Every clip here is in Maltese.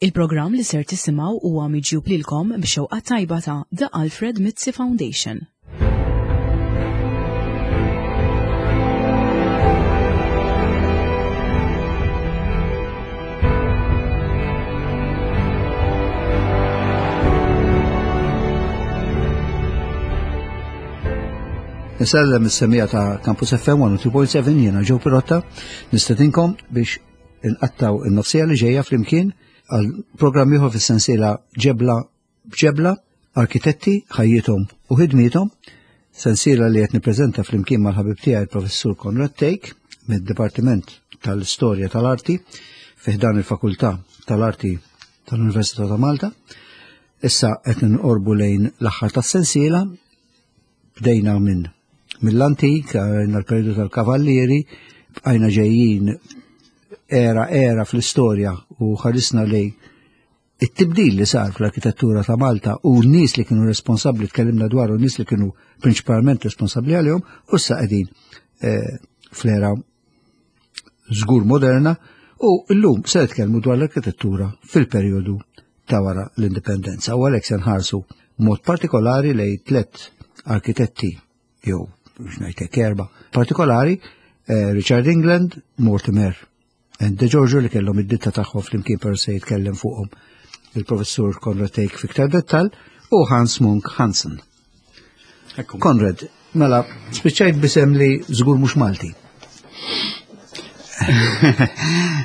Il-programm li ser tisimgħu huwa miġjub lilkom b'xewqa tajba ta' The Alfred Mizzi Foundation. Nisellem is-semija ta' Campus FM 102.7 jiena Joe Pirotta, nistedinkom biex inqattaw in-nofsija li ġejja flimkien għal programm ieħor fis-sensiela Ġebla b'Ġebla, Arkitetti, ħajjithom u ħidmiethom, sensiela li qed nippreżenta flimkien mal-ħabib tiegħi il-Professur Konrad Tejk mid-Dipartiment tal-Istorja tal-Arti fi ħdan il-Fakultà tal-Arti tal-Università ta' Malta. Issa qed nqorbu lejn l-aħħar tas-sensiela Bdejna minn mill-antik, għajna l-periodu tal-kavallieri, bqajna ġejjin era era fl-istorja u ħarisna lej it-tibdil li sar fl-arkitettura ta' Malta u n-nies li kienu responsabbli tkellimna dwar u n-nies li kienu prinċipalment responsabbli għalihom u issa qegħdin eh, fl-era żgur moderna u llum se nitkellmu dwar l-arkitettura fil-perjodu ta' wara l-indipendenza u għalhekk se nħarsu mod partikolari lej tlet arkitetti jew biex ngħidlek erba' partikolari eh, Richard England, Mortimer and De Giorgio li kellhom id-ditta tagħhom flimkien per se jitkellem fuqhom il-professur Konrad Tejk fiktar dettal u Hans Munk Hansen. Konrad, mela, spiċċajt bisem li żgur mhux Malti.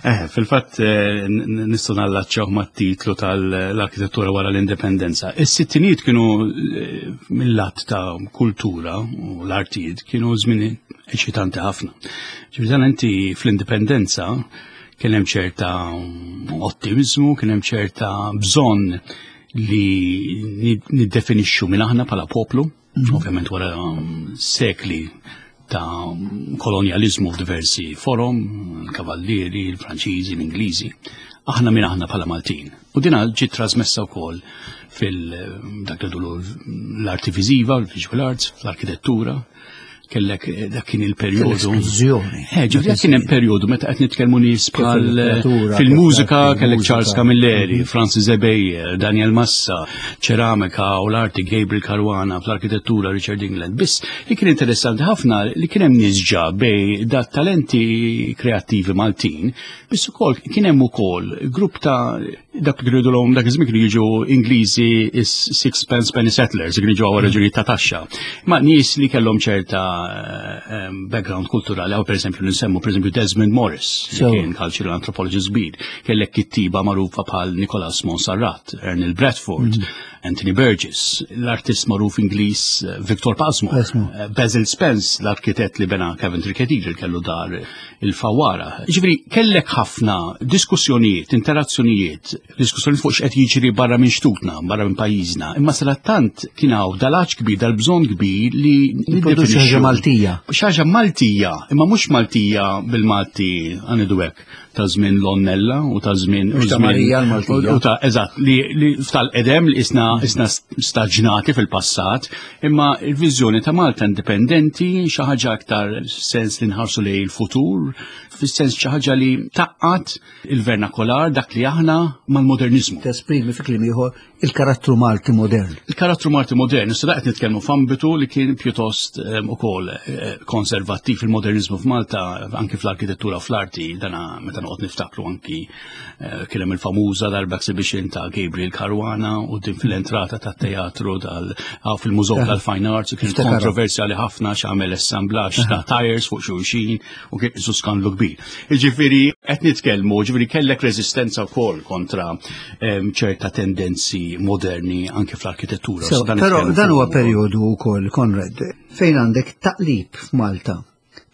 Eh, fil-fatt eh, nistgħu nallaċċjaw mat-titlu tal-arkitettura wara l-indipendenza. Is-sittinijiet kienu eh, mill-lat ta' kultura u l-artijiet kienu żmien eċitanti ħafna. Ġifieri inti fl-indipendenza kien hemm ċerta ottimizmu, kien hemm ċerta bżonn li niddefinixxu minn aħna bħala poplu, mhm. ovvjament wara um, sekli ta' kolonjalizmu f'diversi forom, il-kavallieri, il-Franċiżi, l-Ingliżi, aħna minn aħna bħala Maltin. U dina ġiet trasmessa wkoll fil-dak li l-arti viżiva, l-visual arts, fl-arkitettura, kellek eh, dak kien il-perjodu. Esplużjoni. Eh, ġifieri dak kien hemm perjodu meta qed nitkellmu nies bħal eh, fil-mużika kellek Charles Camilleri, mhm. Francis Ebejer, Daniel Massa, ċeramika u l-arti Gabriel Caruana, fl-arkitettura Richard England. Biss li kien interessanti ħafna li kien hemm nies ġa bej da talenti kreattivi Maltin, biss ukoll kien hemm ukoll grupp ta' dak li kienu l dak iż-żmien kienu jiġu Ingliżi is sixpence penny settlers, kienu jiġu għal raġunijiet ta' taxxa. Ma nies li kellhom ċerta eh, background kulturali, għaw pereżempju nsemmu pereżempju Desmond Morris, li kien cultural anthropologist kbir, kellek kittiba magħrufa bħal Nicholas Monserrat, Ernil Bradford, mm. Anthony Burgess, l-artist magħruf Ingliż eh, Victor Pasmo, eh, Basil Spence, l-arkitett li bena Coventry Cathedral kellu dar il-fawara. Ġifieri kellek ħafna diskussjonijiet, interazzjonijiet, diskussjonijiet fuq x'qed jiġri barra minn xtutna, barra minn pajjiżna. Imma sadattant kien hawn dal-għaġ kbir, dal-bżonn kbir li nipproduċu ħaġa Maltija. Xi Maltija, imma mhux Maltija bil-Malti għanidu hekk ta' żmien l-Onnella u ta' żmien u ta' Marija l-Maltija. U ta' eżatt li, li tal-qedem li isna isna staġnati fil-passat, imma il-viżjoni ta' Malta indipendenti xi ħaġa aktar sens li nħarsu lejn il-futur, fis-sens xi ħaġa li taqqat il-vernakolar dak li aħna mal-modernizmu. Tesprimi fi kliem ieħor il-karattru Malti modern. Il-karattru Malti modern, issa qed nitkellmu f'ambitu li kien pjuttost ehm, ukoll eh, konservattiv il-modernizmu f'Malta, anki fl-arkitettura u fl-arti, dana meta noqgħod niftakru anki eh, kien hemm il-famuża darba exhibition ta' Gabriel Caruana u din fil-entrata tat-teatru tal fil-Mużew eh. tal-Fine Arts kien kontroversjali ħafna x'għamel assemblaġġ ta' tires fuq xulxin u kien isu skandlu kbir. Ġifieri qed nitkellmu, ġifieri kellek reżistenza wkoll kontra ċerta tendenzi moderni anke fl-arkitettura. So, però dan huwa perjodu wkoll, Konrad, fejn għandek taqlib f'Malta.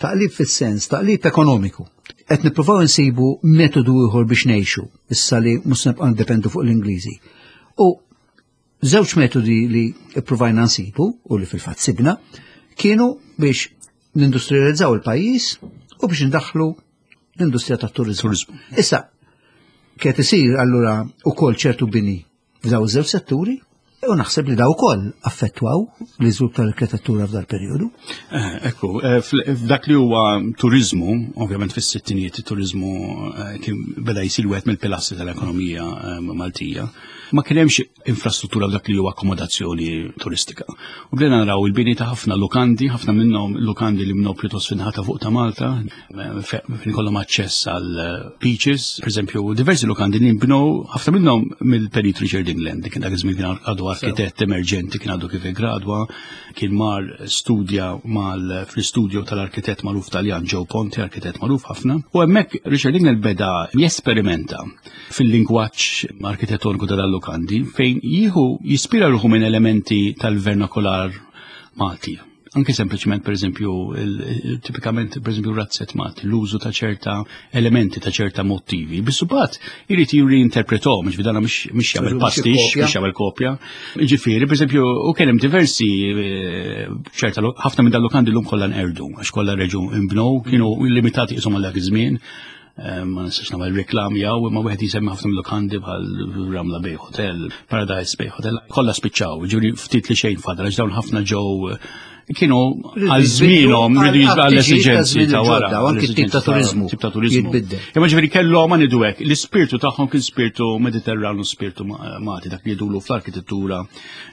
Taqlib fis-sens, taqlib ekonomiku. Qed nippruvaw insibu metodu ieħor biex ngħixu, issa li mhux nibqa' ndependu fuq l-Ingliżi. U żewġ metodi li pprovajna nsibu u li fil-fatt sibna kienu biex nindustrializzaw il-pajjiż u biex ndaħħlu l-industrija tat-turizmu. Issa, kiet isir allura ukoll ċertu bini f'daw iż-żewġ setturi. U naħseb li daw ukoll affettwaw l-iżvilupp tal-arkitettura f'dal perjodu. Eh, ekku, eh, f'dak li huwa turizmu, ovvjament fis-sittinijiet it-turizmu eh, kien beda jsir wieħed mill-pilastri tal-ekonomija Maltija. Ma kien hemmx infrastruttura f'dak li huwa akkomodazzjoni turistika. U bdejna naraw il-bini ta' ħafna lukandi, ħafna minnhom lukandi li minnhom pjuttost fin-ħata fuq ta' Malta, fejn ikollhom aċċess għal eh, beaches, per eżempju, diversi lukandi li nbnew ħafna minnhom mill-Perit Richard England, kien dak iż-żmien kien għadu arkitett emerġenti, kien għadu kif gradwa, kien mar studja mal fl-istudju tal-arkitett magħruf Taljan Joe Ponti, arkitett magħruf ħafna. U hemmhekk Richard England beda jesperimenta fil-lingwaġġ arkitettoniku tal-lukandi fejn jieħu jispira ruħu minn elementi tal-vernakular Malti anke sempliċement per eżempju, tipikament per eżempju razzett Malti, l-użu ta' ċerta elementi, ta' ċerta motivi. Bissubat irid jirreinterpretom, ġifieri dana mhux jagħmel pastix, mhux jagħmel kopja. Ġifieri, per eżempju, u kien hemm diversi eh, ċerta ħafna minn dal-lukandi llum kollha nqerdu, għax kollha reġu imbnow, kienu limitati qishom għal dak iż-żmien. Eh, ma nistax nagħmel reklam jew imma wieħed jisemmi ħafna mill-lukandi bħal Ramla Bay Hotel, Paradise Bay Hotel, kollha spiċċaw, ġifieri ftit li xejn fadal għax dawn ħafna ġew eh, kienu għal żmienhom rridu għall esiġenzi ta' wara. Anki tip ta' turizmu. Tip ta' turizmu. Imma ġifieri kellhom ma ngħidu hekk, l-ispirtu tagħhom kien spirtu Mediterranu, spirtu Malti, dak li jidulu fl-arkitettura,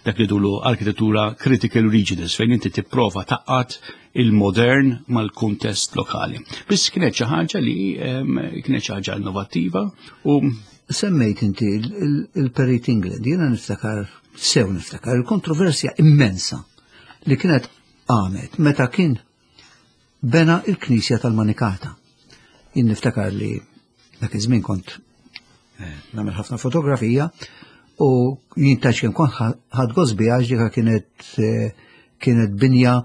dak li jidulu arkitettura critical regionals fejn inti tipprova taqqat il-modern mal-kuntest lokali. Biss kienet xi ħaġa li kienet xi ħaġa innovattiva u Semmejt inti il-Perit England, jiena niftakar, sew niftakar, il-kontroversja immensa li kienet għamet meta kien bena il-Knisja tal-Manikata. Jien niftakar li dak iż-żmien kont eh, nagħmel ħafna fotografija u jien tax kemm kont ħadd gost biha għax dika kienet eh, kienet binja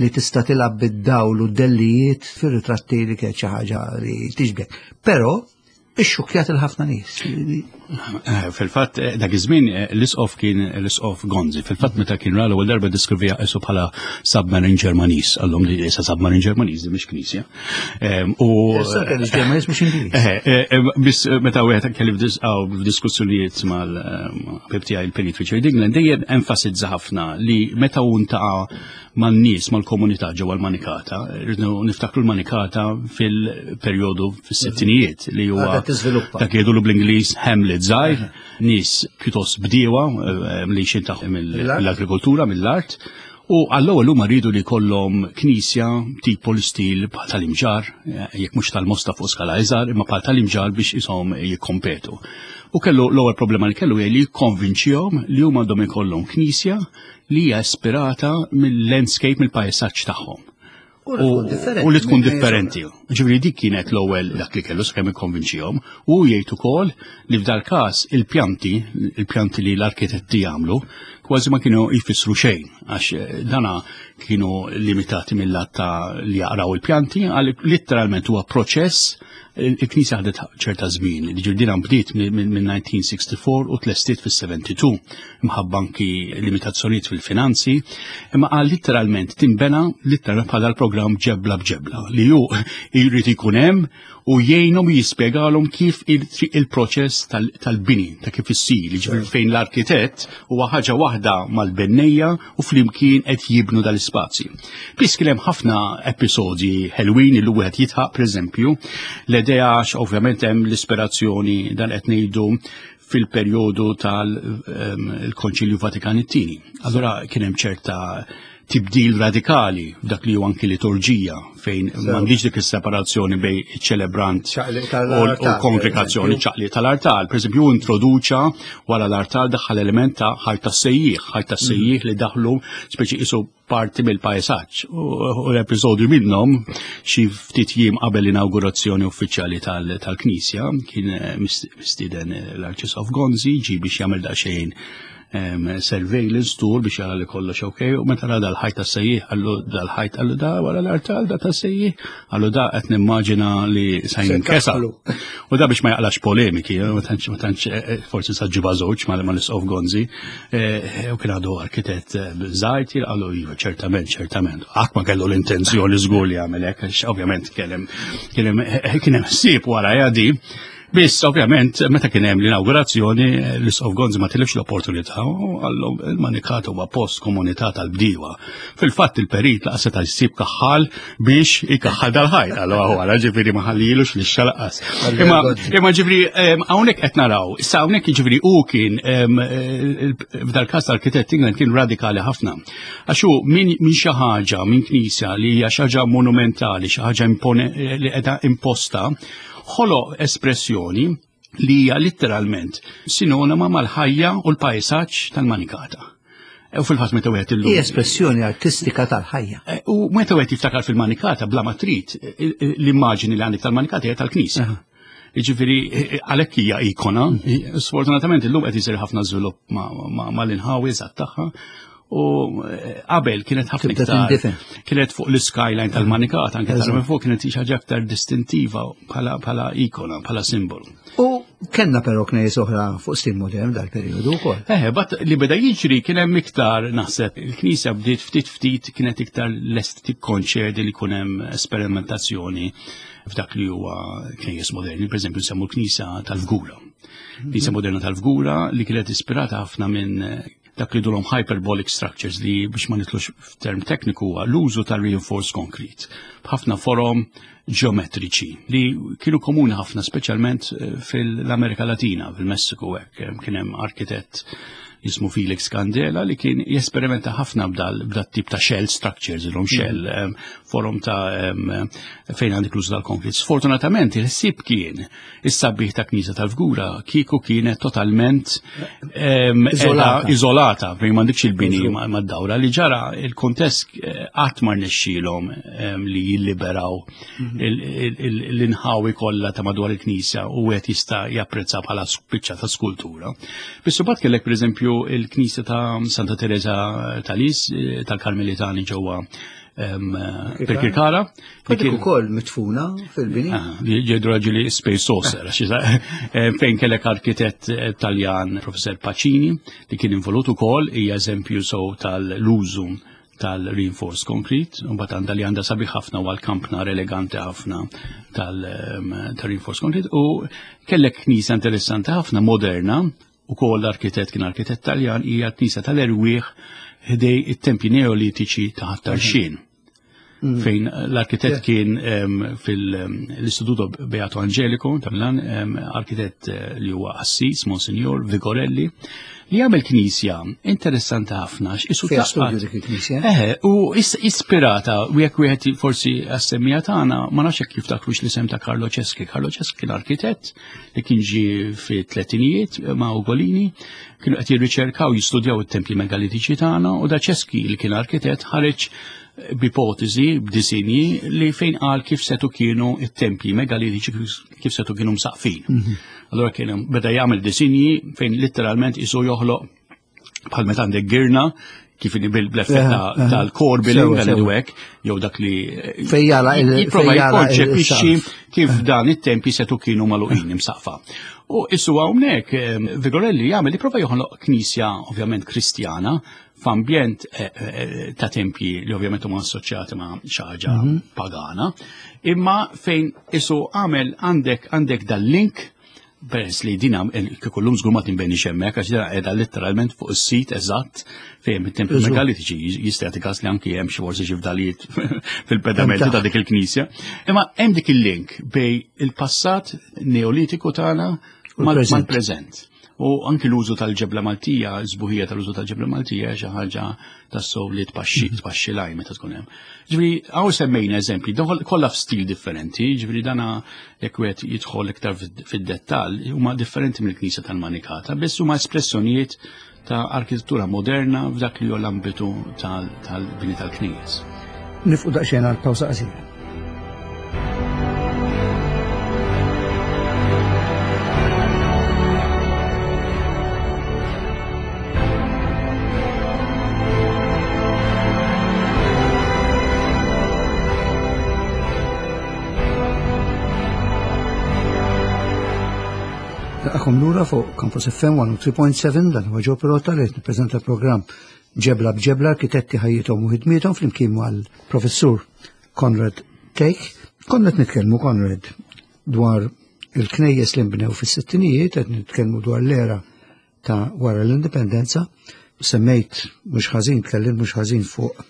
li tista' tilgħab bid-dawl u d-dellijiet fir-ritratti li kienet xi ħaġa li tiġbek. Però ixxukkjat il-ħafna nies. Eh, fil-fatt eh, dak iż-żmien eh, l-isqof kien l-isqof Gonzi. Fil-fatt meta kien ra l-ewwel darba diskrivija qisu bħala submarine Ġermaniż, għallhom li issa submarine Ġermaniż di mhix knisja. U Ġermaniż mhux Ingliż. Biss meta wieħed kelli f'diskussjonijiet mal-ħabib tiegħi il-Perit Richard England dejjem enfasizza ħafna li meta hu ntaqa' man-nies mal-komunità ġewwa l-Manikata, rridu niftakru l-Manikata fil-perjodu fis-sittinijiet li huwa dak li jgħidulu bl-Ingliż Hamlet żgħir, nies pjuttost bdiewa eh, li xin tagħhom mill-agrikoltura, mill-art, U għall-ewwel huma rridu li jkollhom knisja tipo l-istil bħal tal-imġar, eh, jekk mhux tal-mosta fuq skala iżgħar, imma bħal tal-imġar biex ishom jikkompetu. U kellu l-ewwel problema li kellu hija li jikkonvinċihom li huma għandhom ikollhom knisja li hija ispirata mill-landscape, mill-pajsaġġ tagħhom. U li tkun differenti. Ġifieri dik kienet l-ewwel dak li kellu sakemm ikkonvinċihom u jgħid ukoll li f'dal każ il-pjanti, il-pjanti li l-arkitetti jagħmlu, kważi ma kienu jfissru xejn għax eh, dana kienu limitati mill-lat ta' li jaqraw il-pjanti, għal litteralment huwa proċess Il-Knisja ħadet ċerta żmien, li ġirdina bdiet minn 1964 u tlestiet fis-72, mħabba anki limitazzjonijiet fil-finanzi, imma qal litteralment tinbena litteralment bħala l-programm ġebla b'ġebla li hu jrid ikun hemm u jgħinhom jispjegalhom kif il-proċess tal-bini, ta' kif issir, jiġifieri fejn l-arkitett huwa ħaġa waħda mal-bennejja u flimkien qed jibnu dal-ispazji. Biss kien hemm ħafna episodji ħelwin li wieħed jitħaq pereżempju l-idea għax ovvjament hemm l-ispirazzjoni dan qed ngħidu fil-perjodu tal-Konċilju ehm, Vatikan it-tieni. Allura kien hemm ċerta tibdil radikali f'dak li huwa anki liturġija fejn m'għandix dik is-separazzjoni bej iċ-ċelebrant u l-kongregazzjoni ċaqli tal-artal. Per eżempju, introduċa wara l-artal daħħal element ta' ħajta sejjieħ, ħajta mhm. sejjieħ li daħlu speċi isu parti mill-pajsaġġ. U l-episodju minnhom xi ftit jiem qabel l-inaugurazzjoni uffiċjali tal-Knisja kien eh, mistieden l-Arċisqof Gonzi ġi biex jagħmel daqsxejn surveillance tour biex jara li kollox ok, u meta ra dal-ħajt tas sejjih għallu dal-ħajt għallu da wara l-artal da tas sejjih, għallu da qed nimmaġina li sa jinkesa. U da biex ma jaqlax polemiki, eh, ma tantx ma tantx eh, eh, forsi sa ġiba żewġ ma l-isqof Gonzi, u kien għadu arkitett żgħir għallu iva ċertament, ċertament. Qatt ma kellu l-intenzjoni żgur li jagħmel hekk, ovvjament kien hemm kien hemm ħsieb wara jadi. Biss, ovvjament, meta kien hemm l-inawgurazzjoni, l-Isqof Gonzi ma tilifx l-opportunità u għallhom il-Manikata huwa post komunità tal-bdiewa. Fil-fatt il-perit laqas seta' jsib kaħħal biex ikaħħal dal-ħajt, allora wara ġifieri ma ħallilux li xalaqas. Imma imma ġifieri hawnhekk qed naraw, issa hawnhekk ġifieri hu kien f'dal-każ l-arkitett England kien radikali ħafna. Għax hu minn xi ħaġa, minn knisja li hija xi ħaġa monumentali, xi ħaġa li qiegħda imposta, ħoloq espressjoni li hija litteralment sinonima mal-ħajja u l-pajsaġġ tal-manikata. E, u fil-fatt meta wieħed illum. Hija espressjoni artistika tal-ħajja. E, u meta wieħed jiftakar fil-manikata bla ma trid, l-immaġini li għandek tal-manikata hija tal-knisja. Jiġifieri għalhekk hija ikona. Sfortunatament illum qed isir ħafna żvilupp mal-inħawi eżatt tagħha u eh, qabel kienet ħafna iktar kienet fuq l-skyline tal-manikata anke tara minn fuq kienet xi ħaġa aktar distintiva bħala ikona, bħala simbolu. U kellna però knejjes oħra fuq stil modern dal-perjodu wkoll. Eh, bat li beda jiġri kien hemm iktar naħseb il-knisja bdiet ftit ftit kienet iktar lest tikkonċedi li jkun hemm esperimentazzjoni f'dak li huwa knejjes moderni, per eżempju nsemmu l-Knisja tal-Fgura. Knisja moderna tal-Fgura li kienet ispirata ħafna minn dak li dulhom hyperbolic structures li biex ma nitlux f'term tekniku huwa l-użu tal-reinforced concrete b'ħafna forom ġeometriċi li kienu komuni ħafna speċjalment eh, fil-Amerika Latina, fil-Messiku hekk eh, kien hemm arkitett jismu Felix Candela li kien jesperimenta ħafna b'dal tip ta' shell structures, il shell, mm. forum ta' fejn għandek l-użu tal-konflitt. Sfortunatament il-ħsieb kien is-sabiħ ta' Knisja tal-Fgura kieku kienet totalment iżolata fejn m'għandekx il-bini mad-dawra li ġara il-kontest eh, qatt ma rnexxielhom li jilliberaw mhm. l-inħawi kollha ta' madwar il-Knisja u wieħed jista' japprezza bħala biċċa ta' skultura. Biss imbagħad kellek pereżempju il-Knisja ta' Santa Teresa tal-Is eh, tal-Karmelitani ġewwa Pirkirkara. Dik ukoll mitfuna fil-bini. Ah, ġedu raġuli Space Saucer, eh, fejn kellek arkitett eh, Taljan Professor Pacini li kien involut ukoll hija eżempju sow tal-użu tal-reinforced concrete, u bat għanda li għanda sabiħ ħafna u għal-kampnar eleganti ħafna tal-reinforced concrete, u kellek knisa interessanti ħafna moderna, u kol l-arkitett kien arkitett taljan, hija knisa tal-erwieħ ħdej it-tempji neolitiċi ta' Ħat-Tarxien. Mm. Fejn l-arkitett kien fil-Istituto Beato Angelico ta' Milan, arkitett eh, li huwa Assis, Monsignor Vigorelli, li għamel knisja interessanti ħafna. Isu studju dik il-knisja. Eh, u ispirata, u jekk wieħed forsi għas-semmija tagħna, ma nafx jekk jiftakrux l-isem ta' Carlo Ceschi. Carlo Ceschi kien arkitett li kien ġie fit-tletinijiet ma' Ugolini, kienu qed jirriċerkaw jistudjaw it-tempji megalitiċi tagħna u da Ceschi li kien arkitett ħareġ b'ipotezi, b'disinji li fejn qal kif setu kienu it-tempji megalitiċi kif setu kienu msaqfin. Mhm. Allora kien beda jagħmel disinji fejn letteralment isu joħloq bħal meta għandek girna kif bil-effett tal-core billing tal-idwek, jew dak li fejjala jipprova jikkonċepixxi kif dan it-tempi setu kienu magħluqin imsaqfa. U issu hawnhekk eh, Vigorelli jagħmel jipprova joħloq knisja ovvjament Kristjana f'ambjent eh, eh, ta' tempji li ovvjament huma assoċjati ma' xi ħaġa mhm. pagana, imma fejn isu għamel għandek għandek dal-link peress li dina eh, kieku llum żgur ma tinbeni hemmhekk għax dina qiegħda letteralment fuq is-sit eżatt fejn it-tempji megalitiċi jista' jagħti każ li anki hemm xi forsi xi fdalijiet fil-pedamenti ta' dik il-knisja. Imma hemm dik il-link bej il-passat neolitiku tagħna mal-preżent. U anki l-użu tal-ġebla Maltija, l-sbuħija tal-użu tal-ġebla Maltija xi ħaġa tassow li tpaxxi mhm. tpaxxi laj meta tkun hemm. Ġifieri hawn semmejna eżempji, kollha f'stil differenti, ġifieri dana jekk wieħed jidħol iktar fid-dettall huma differenti mill-Knisja tal-Manikata, biss huma espressjonijiet ta' arkitettura moderna f'dak li hu l-ambitu tal-bini tal-knejjes. Nifqu daqsxejn għal pawsa qasira. Nilqakom lura fuq Campus FM 103.7 dan huwa Joe Pirotta li qed nippreżenta programm Ġebla b'Ġebla Arkitetti ħajjithom u ħidmiethom flimkien mal-Professur Conrad Take. Konna qed nitkellmu Conrad dwar Il-knejjes li nbnew fis-sittinijiet qed nitkellmu dwar l-era ta' wara l-indipendenza, semmejt mhux ħażin, tkellimt mhux ħażin fuq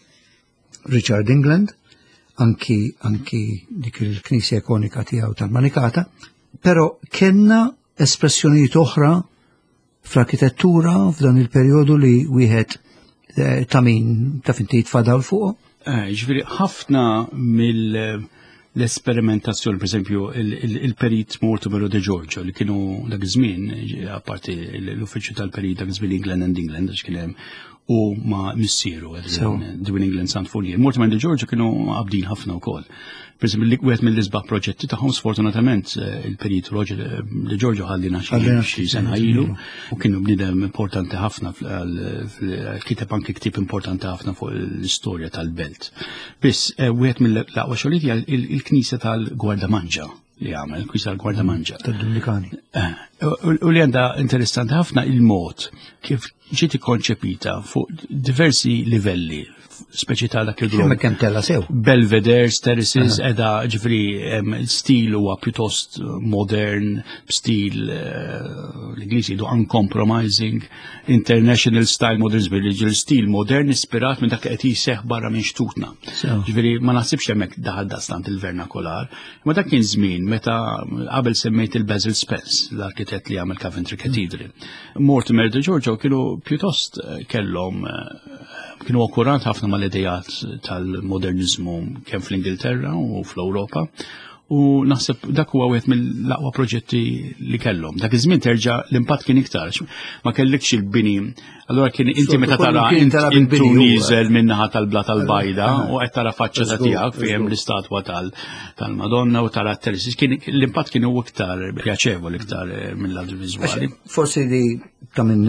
Richard England, anki anki dik il-knisja ikonika tiegħu tal-Manikata, però kellna espressjonijiet oħra fl-arkitettura f'dan il-perjodu li wieħed eh, ta' min ta' finti jitfadal fuq? Eh, ġifieri ħafna mill l-esperimentazzjoni, per esempio, il-perit Mortimer de Giorgio li kienu dak iż-żmien, apparti l-uffiċċju tal-perit dak iż-żmien England and England, għax kien hemm u ma' missieru, Dwin England Sant Fullier. Mortimer de Giorgio kienu għabdin ħafna wkoll. Per esempio, wieħed mill-isbaħ proġetti tagħhom sfortunatament eh, il-perit Roger eh, de Giorgio ħallina xi sena ilu u kienu bniedem importanti ħafna kiteb anke ktieb importanti ħafna fuq l-istorja tal-belt. Biss eh, wieħed mill-aqwa xogħlijiet il-knisja tal-Gwardamanġa li għamel, knisja tal-Gwardamanġa. Tad-Dominikani. U li għandha interessanti ħafna il-mod kif ġiet ikkonċepita fuq diversi livelli, speċi ta' dak il-grupp. Kemm kemm tella sew. Belvederes, terraces, edha ġifri stil huwa pjuttost modern, stil eh, l-Ingliżi jgħidu uncompromising, international style modern, ġifieri stil modern ispirat minn dak li qed jiseħ barra minn xtutna. Ġifieri ma naħsibx hemmhekk daħal dastant il-vernakolar. Ma dak kien żmien meta qabel semmejt il-Basil Spence, l-arkitett li għamel Coventry Cathedral. Mortimer de Giorgio kienu pjuttost eh, kellhom eh, kienu akkurat ħafna mal-idejat tal-modernizmu kemm fl-Ingilterra u fl-Ewropa u naħseb dak huwa wieħed mill-aqwa proġetti li kellhom. Dak iż-żmien terġa' l-impatt kien iktar, ma kellikx il-bini. Allura kien inti meta tara intu nieżel min-naħa tal-bla tal-bajda u qed tara faċċata tiegħek fejn l-istatwa tal-Madonna u tara t-terzi. Kien l-impatt kien iktar pjaċevoli iktar eh, mill-lat viżwali. Forsi li ta' minn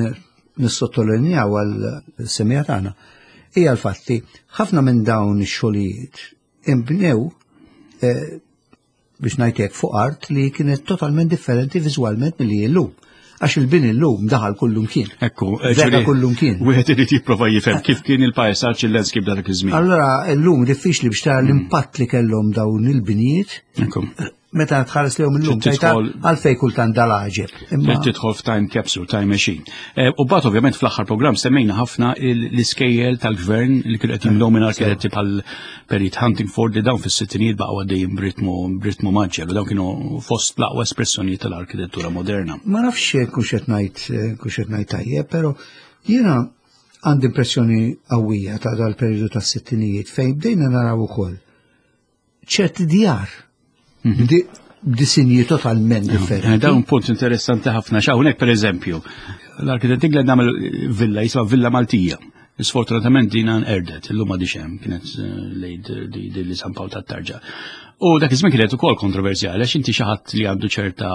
nissottolinjaw għal semija tagħna hija l-fatti ħafna minn dawn ix-xogħlijiet imbnew eh, biex ngħid hekk fuq art li kienet totalment differenti viżwalment milli illum. Għax il-bini llum daħal kullum kien. Ekku, eh, Vera kullum kien. Wieħed irid jipprova jifhem kif kien il-pajsaġġ il-landscape dak iż-żmien. Allora llum diffiċli biex tara l-impatt li kellhom dawn il-binijiet. Meta tħares lehom illum, għalfej kultant dal-għaġeb. Trid tidħol f'time capsule, time machine. Eh, u bat ovvjament fl-aħħar programm semmejna ħafna l-iskejjel tal-gvern li kienu qed jimlew minn arkitetti bħal Perit Huntingford li dawn fis-sittinijiet baqgħu għaddejjin b'ritmu b'ritmu maġġel u dawn kienu fost l-aqwa espressjonijiet tal-arkitettura moderna. Ma nafx kux qed ngħid kux qed ngħid tajjeb, però jiena għandi impressjoni qawwija ta' dal-perjodu tas-sittinijiet fejn bdejna naraw ukoll ċerti djar mhm. b'disinji totalment eh, differenti. Dawn punt interessanti ħafna. Hawnhekk pereżempju, l-arkitett England għamel villa jisma' Villa Maltija. Sfortunatament din erdet, illum għadix hemm, kienet eh, lejd li San Pawl tat-Tarġa. U dak iż-żmien kienet ukoll kontroversjali għax inti xi ħadd li għandu ċerta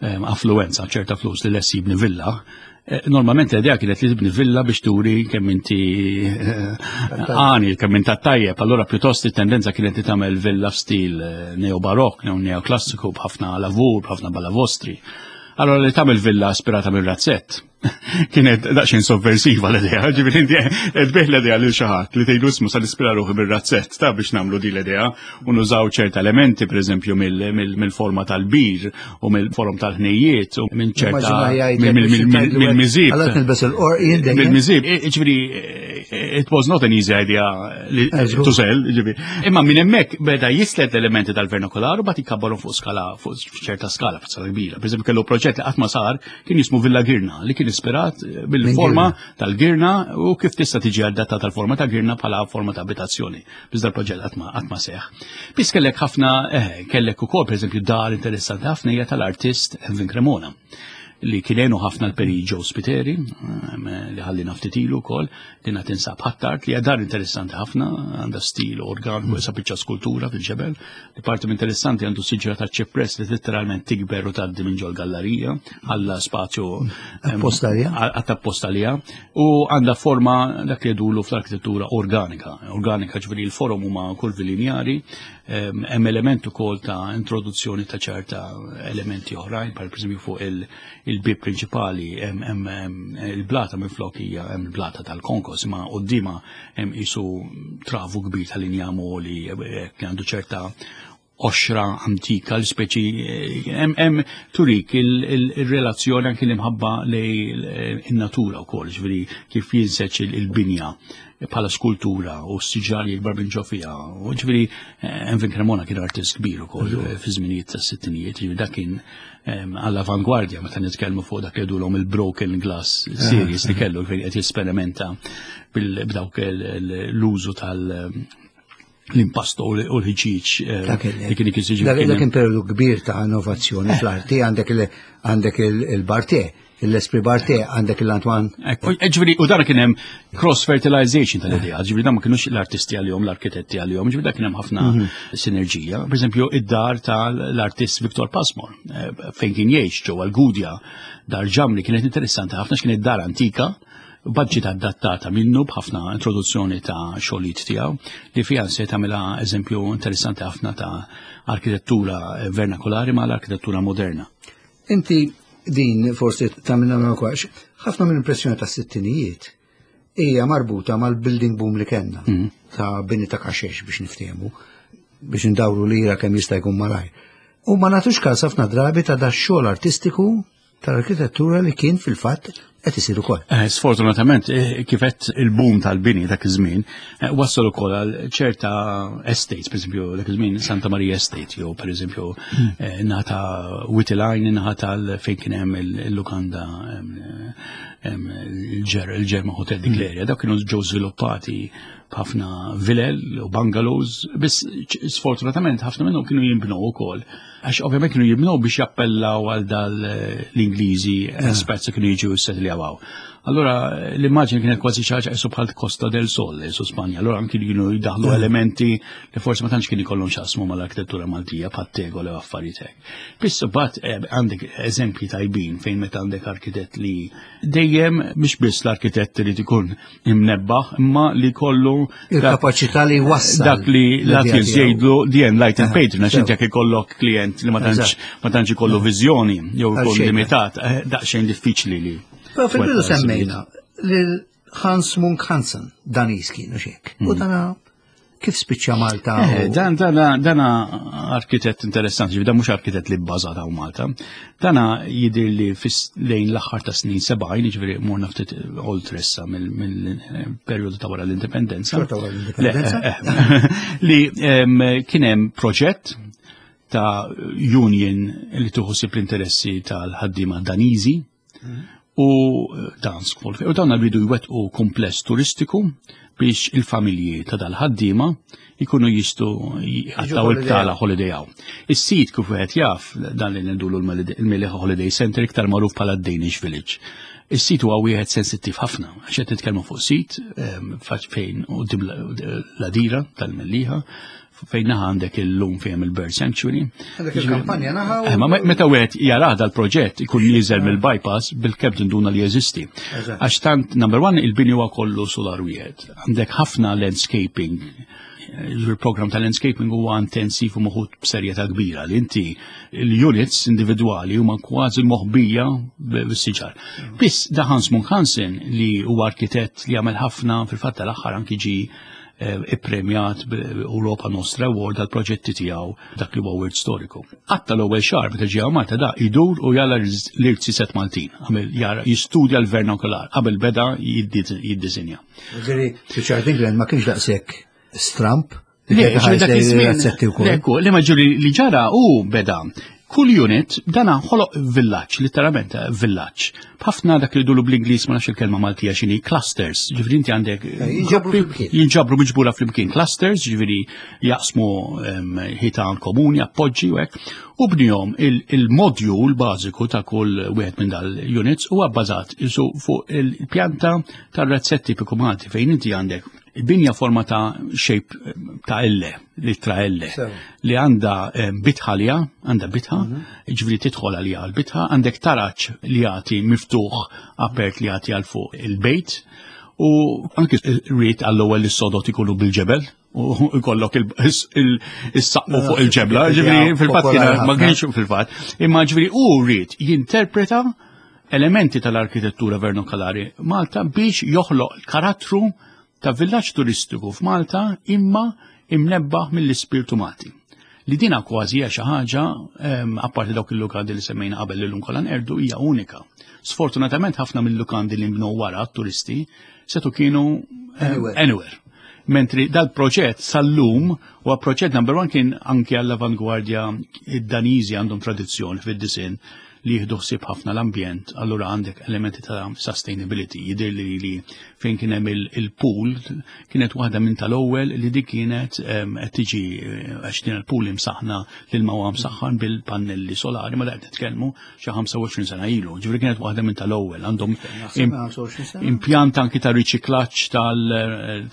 affluenza, ċerta flus li lest jibni villa, eh, normalment l-idea kienet li tibni villa biex turi kemm inti eh, għani, kemm inti tajjeb, allura pjuttost it-tendenza kienet li tagħmel villa f'stil eh, neobarok, neoklassiku b'ħafna lavur, b'ħafna balavostri. Allora li tagħmel villa aspirata minn razzett kienet daqsxejn sovversiva l-idea, ġifieri inti qed bih l-idea lil xi ħadd li tgħidu ismu sa nispira ruħi bir-razzett ta' biex nagħmlu din l-idea u nużaw ċerta elementi pereżempju mill-forma tal-bir u mill-forom tal-ħnejjiet u minn ċerta mill-miżib. Mill-miżib, ġifieri it was not an easy idea to sell, ġifieri. Imma minn hemmhekk beda jislet elementi tal-vernakular u bagħad ikabbarhom fuq skala fuq ċerta skala, fuq skala kbira. Pereżempju kellu proġett li qatt ma sar kien jismu Villa Girna li kien ispirat eh, bil-forma tal-girna u kif tista' tiġi adattata tal-forma ta' girna bħala forma ta' abitazzjoni. Biss dal-proġett qatt ma seħ. Biss kellek ħafna eh, kellek ukoll pereżempju dar interessanti ħafna hija tal-artist Elvin Cremona li kienu ħafna l-peri Joe Spiteri, eh, li ħalli ftit ilu wkoll, Dinha tinsab Ħ'Attard li hija dar interessanti ħafna, għandha stil organiku mm. biċċa skultura fil-ġebel. Li parti interessanti għandu siġra ta' ċipress li literalment tikber u tgħaddi minn ġol gallerija għalla spazju appostalija. Appostalija u għandha forma dak li jgħidulu fl-arkitettura organika. Organika ġifieri l-forom huma kurvi linjari, hemm element ukoll ta' introduzzjoni ta' ċerta elementi oħrajn, bħal pereżempju fuq il- il-bib prinċipali hemm il-blata minn flok hija hemm il-blata tal-konkos imma qudiema hemm qisu travu kbir tal-injam li eh, għandu ċerta Qoxra antika l-speċi hemm turik il-relazzjoni anki l-imħabba lej in-natura wkoll, ġifieri kif jinseġ il-binja bħala skultura u s-siġar jikbar minn ġo fiha. U ġifieri Envin Cremona kien artist kbir ukoll fi żminijiet tas-sittinijiet, ġifieri dak kien għall-avangwardja meta nitkellmu fuq dak li jgħidulhom il-broken glass series li kellu fejn qed jesperimenta b'dawk l-użu tal- l-impasto u l-ħġiġ eh, li kien ikun Dak kien periodu kbir ta' innovazzjoni eh. fl-arti għandek il-Barte, l-Esprit Barte, għandek l-Antoine. Eh, ġifieri u dan kien hemm cross fertilization tal-idea, ġifieri dan ma kienux l-artisti għalihom, l-arkitetti għalihom, ġifieri dak kien hemm ħafna mhm. sinerġija. Per eżempju, id-dar tal-artist Victor Pasmore, fejn kien jgħix ġewwa l-Gudja, dar ġamli kienet interessanti ħafna x'kienet dar antika Budget adattata minnu b'ħafna introduzzjoni ta' xogħlijiet tiegħu li fiha se tagħmilha eżempju interessanti ħafna ta' arkitettura vernakolari ma' l-arkitettura moderna. Inti din forsi tagħmilna kwax, ħafna minn impressjoni ta' sittinijiet hija marbuta mal-building boom li kellna mhm. ta' bini ta' kaxex biex niftehmu biex indawru lira kemm jista' jkun malajr. U ma nagħtux każ ħafna drabi ta' da xogħol artistiku tal-arkitettura li kien fil-fatt qed isir ukoll. Eh, sfortunatament, eh, kif qed il-boom tal-bini dak iż-żmien, eh, wassal ukoll għal ċerta estates, pereżempju dak iż-żmien Santa Maria Estate, jew pereżempju hmm. nata Wittiline, naħa tal fejn kien hemm il-lukanda il-Ġerma Hotel dik hmm. l-area, dak kienu ġew żviluppati b'ħafna vilel u bungalows, biss sfortunatament ħafna minnhom kienu jinbnew ukoll Għax ovvjament kienu jibnu biex jappellaw għal dal l-Ingliżi eh. esperts kienu jiġu s-setli għaw. Allora l-immaġni kienet kważi xi ħaġa qisu bħal Costa del Sol su Spanja. Allora anki kienu jdaħlu eh. elementi li forsi ma tantx kien ikollhom x'jaqsmu mal-arkitettura Maltija bħal tegol u affarijiet hekk. Biss imbagħad eh, għandek eżempji tajbin fejn meta għandek arkitett li dejjem mhux biss l-arkitett irid ikun imnebbaħ imma li kollu il-kapaċità li jwassal dak li l-Athens jgħidlu the enlightened patron għax inti jekk ikollok klient li ma tantx ma tantx ikollu viżjoni jew ikun limitat eh, daqsxejn diffiċli li. Però fil-bidu semmejna lil Hans Munk Hansen Danis kienu xek. U mm. dana Kif spiċċa Malta? Eh, dan dan dan arkitett interessanti, dan mhux arkitett li bbażat hawn Malta. Dana jidher li lejn l-aħħar ta' snin 70, jiġifieri morna ftit oltre issa mill-perjodu ta' wara l-indipendenza. L-indipendenza. Eh, eh, li kien hemm proġett ta' union li tuħu l-interessi tal-ħaddiema Daniżi u Dansk Folk. U dawn rridu jwettqu kumpless turistiku biex il-familji ta' dal-ħaddiema jkunu jistu jgħattaw il-btala holiday hawn. Is-sit kif wieħed jaf dan li ndulu l-Meliħa Holiday Center iktar magħruf bħala Danish Village. Is-sit huwa wieħed sensittiv ħafna, għax qed nitkellmu fuq sit ehm, fejn quddiem l-adira tal-Mellieħa fejn naħa għandek il-lum fejn il-Bird Sanctuary. Għandek il-kampanja naħa. Eh, ma meta wieħed jarah dal-proġett ikun nieżel eh. mill-bypass bil-kemm tinduna li jeżisti. Għax tant number one il-bini huwa kollu solar wieħed. Għandek ħafna landscaping il-program ta' landscaping huwa intensiv u moħut b'serjetà kbira li inti l-units individwali huma kważi moħbija bis-siġar. Biss da Hans Munk Hansen li huwa arkitett li għamel ħafna fil-fatt tal-aħħar anki ġi Eh, ippremjat Europa Nostra Award għal proġetti tiegħu dak li huwa wirt storiku. Qatta l-ewwel xahar meta ġie Malta da idur u jara l-irziset Maltin, għamel jara jistudja l-vernakular qabel beda jiddisinja. Ġifieri Richard England ma kienx daqshekk stramp Le, dak iż-żmien. Le, ma ġuri li ġara u beda Kull unit dana ħoloq villaġġ, literalment eh, villaġġ. B'ħafna dak li dulu bl-Ingliż ma nafx il-kelma Maltija x'inhi clusters, ġifieri inti għandek eh, jinġabru miġbura flimkien clusters, ġifieri jaqsmu ħitan komuni, appoġġi u hekk. U bnihom il-modjul bażiku ta' kull wieħed minn dal-units huwa bbażat fuq il-pjanta tar-razzett tipiku Malti fejn inti għandek Binja forma ta' shape ta' L, litra L, li għandha eh, bitħa li għandha bitħa, mhm. ġifieri tidħol għalija għal-bitħa, għandek taraċ li jagħti miftuħ apert li jagħti għal fuq il-bejt, u anki rrit għall-ewwel is-sodot ikunu bil-ġebel, u jkollok il-saqqu fuq il-ġebla, ġifieri fil-fatt kien ma kienx fil-fatt, imma ġifieri u rrit jinterpreta elementi tal-arkitettura vernakolari Malta biex joħloq karattru ta' villaġġ turistiku f'Malta imma imnebbaħ mill-ispirtu Malti. Li dina kważi hija xi ħaġa apparti dawk il-lukandi li semmejna qabel li llum kollha nqerdu hija unika. Sfortunatament ħafna mill-lukandi li nbnew wara t-turisti setu kienu anywhere. Mentri dal-proġett sal-lum huwa proġett number one kien anke għall-avangwardja id-Daniżi għandhom tradizzjoni fid-disin li jieħdu ħsieb ħafna l-ambjent, allura għandek elementi ta' sustainability. Jidher li li fejn kien hemm il-pool kienet waħda minn tal-ewwel li dik kienet qed tiġi eh, għax din il-pool imsaħna lil ma huwa msaħħan bil-pannelli solari ma qed nitkellmu xi 25 sena ilu. Ġifieri kienet waħda minn tal-ewwel għandhom impjant anki ta' riċiklaġġ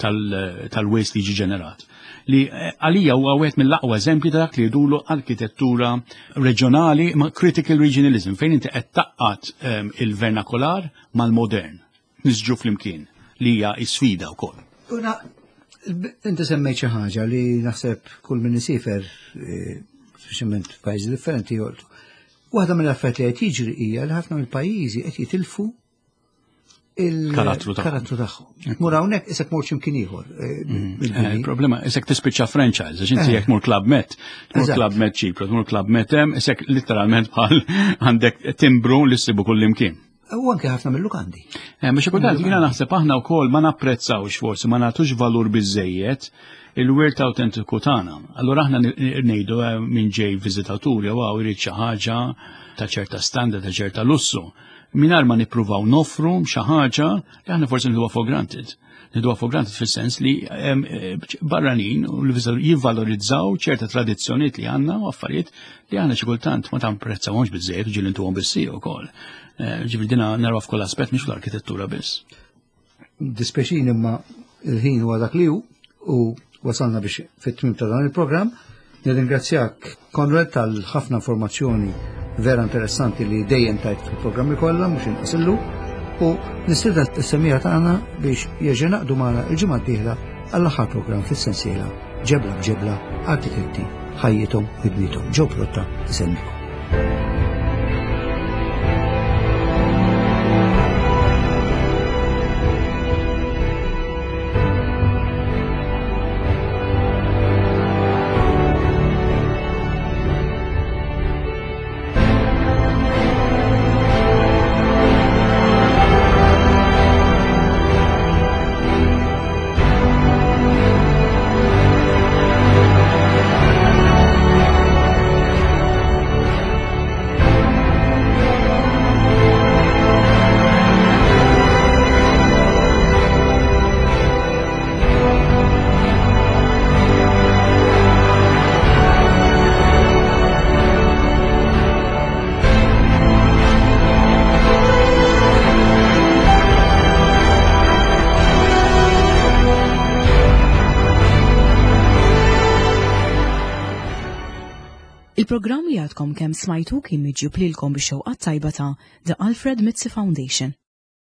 tal-waste li jiġi ġenerat li eh, għalija huwa wieħed mill-aqwa eżempji ta' dak li jdulu arkitettura reġjonali ma' critical regionalism fejn inti qed taqqat ehm, il-vernakular mal-modern nisġu flimkien li hija sfida wkoll. Una, inti semmejt xi ħaġa li naħseb kull min isifer eh, speċjalment f'pajjiżi differenti joltu. Waħda mill-affarijiet li qed jiġri hija li ħafna mill-pajjiżi qed jitilfu il-karattru tagħhom. Mur hawnhekk isek mur x'imkien ieħor. Eh, mm. eh, il-problema isek tispiċċa franchise, għax inti eh. jekk mur Club Med, tmur Club Med Ċipru, tmur Club Med hemm, isek literalment bħal għandek timbru li ssibu kull imkien. U anke ħafna mill-lukandi. Biex kultant jiena naħseb aħna wkoll ma napprezzawx forsi ma nagħtux valur biżejjed il-wirt autentiku tagħna. Allura aħna ngħidu minn ġej viżitatur jew hawn irid xi ħaġa ta' ċerta standard, ta' ċerta lussu mingħajr ma nippruvaw noffru xi ħaġa li aħna forsi nħuha for granted. Nħuha for granted fis-sens li eh, barranin u jivvalorizzaw ċerta tradizzjonijiet li għandna u affarijiet li aħna xi kultant ma tamprezzawhomx biżejjed u ġieli ntuhom bissi wkoll. Eh, ġifieri dina naraw f'kull aspett mhux fl-arkitettura biss. Dispeċin imma il-ħin huwa dak li hu u wasalna biex fit-tmim ta' dan il-programm. Nirringrazzjak Konrad tal-ħafna informazzjoni vera interessanti li dejjem tajt fil-programmi kollha mhux inqas illum u nistieden is-semija tagħna biex jerġa' naqdu magħna il-ġimgħa d-dieħla għall-aħħar programm fis-sensiela Ġebla b'Ġebla Arkitetti ħajjithom u ħidmiethom. Ġew Protta iselmikom. Il-programm li għadkom kemm smajtu kien miġjub lilkom bix-xewqat tajba ta' The Alfred Mizzi Foundation.